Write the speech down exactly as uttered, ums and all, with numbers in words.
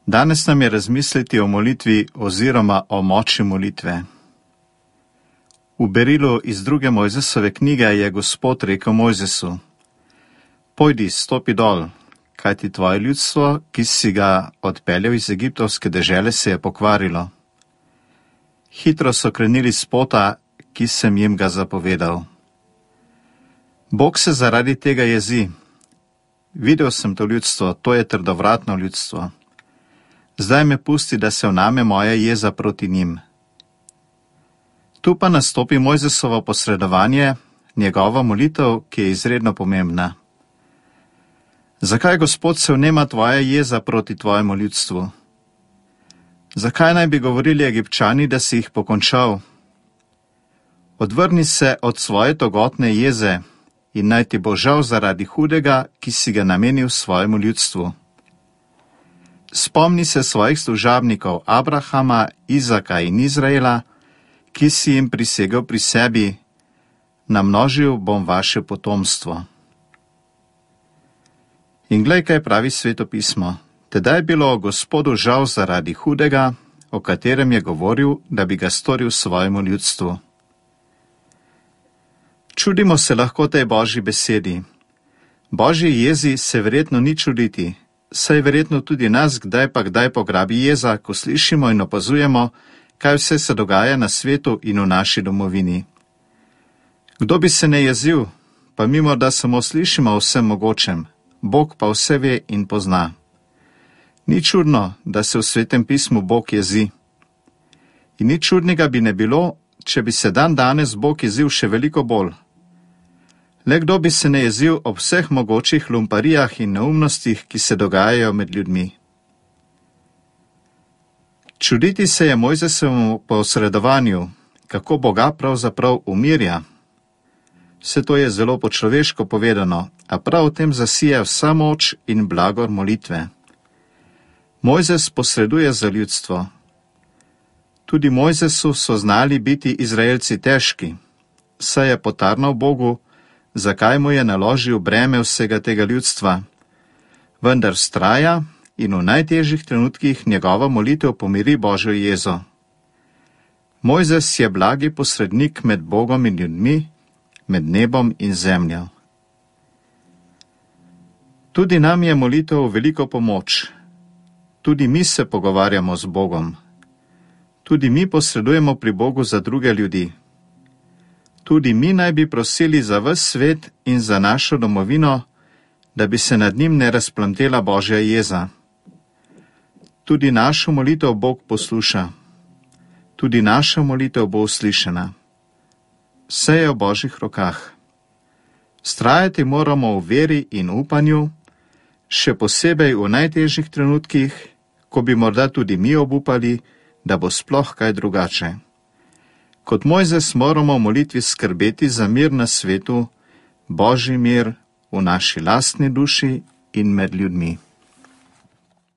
Danes nam je razmisliti o molitvi oziroma o moči molitve. V berilu iz druge Mojzesove knjige je Gospod rekel Mojzesu: Pojdi, stopi dol, kajti tvoje ljudstvo, ki si ga odpeljal iz egiptovske dežele, se je pokvarilo. Hitro so krenili s pota, ki sem jim ga zapovedal. Bog se zaradi tega jezi. Videl sem to ljudstvo, to je trdovratno ljudstvo. Zdaj me pusti, da se vname moja jeza proti njim. Tu pa nastopi Mojzesovo posredovanje, njegova molitev, ki je izredno pomembna. Zakaj, Gospod, se vnema tvoja jeza proti tvojemu ljudstvu? Zakaj naj bi govorili Egipčani, da si jih pokončal? Odvrni se od svoje togotne jeze in naj ti bo žal zaradi hudega, ki si ga namenil svojemu ljudstvu. Spomni se svojih služabnikov Abrahama, Izaka in Izraela, ki si jim prisegel pri sebi: namnožil bom vaše potomstvo. In glej, kaj pravi Sveto pismo. Tedaj je bilo Gospodu žal zaradi hudega, o katerem je govoril, da bi ga storil svojemu ljudstvu. Čudimo se lahko tej Božji besedi. Božji jezi se verjetno ni čuditi, saj verjetno tudi nas kdaj pa kdaj pograbi jeza, ko slišimo in opazujemo, kaj vse se dogaja na svetu in v naši domovini. Kdo bi se ne jezil, pa mimo da samo slišimo o vsem mogočem, Bog pa vse ve in pozna. Ni čudno, da se v Svetem pismu Bog jezi. In ni čudnega bi ne bilo, če bi se dan danes Bog jezil še veliko bolj. Le kdo bi se ne jezil ob vseh mogočih lumparijah in neumnostih, ki se dogajajo med ljudmi. Čuditi se je Mojzesovemu posredovanju, kako Boga pravzaprav umirja. Vse to je zelo po človeško povedano, a prav v tem zasije vsa moč in blagor molitve. Mojzes posreduje za ljudstvo. Tudi Mojzesu so znali biti Izraelci težki, saj je potarnal Bogu, zakaj mu je naložil breme vsega tega ljudstva. Vendar vztraja in v najtežjih trenutkih njegova molitev pomiri Božjo jezo. Mojzes je blagi posrednik med Bogom in ljudmi, med nebom in zemljo. Tudi nam je molitev veliko pomoč. Tudi mi se pogovarjamo z Bogom. Tudi mi posredujemo pri Bogu za druge ljudi. Tudi mi naj bi prosili za ves svet in za našo domovino, da bi se nad njim ne razplamtela Božja jeza. Tudi našo molitev Bog posluša. Tudi naša molitev bo uslišana. Vse je v Božjih rokah. Vztrajati moramo v veri in upanju, še posebej v najtežjih trenutkih, ko bi morda tudi mi obupali, da bo sploh kaj drugače. Kot Mojzes moramo v molitvi skrbeti za mir na svetu, Božji mir v naši lastni duši in med ljudmi.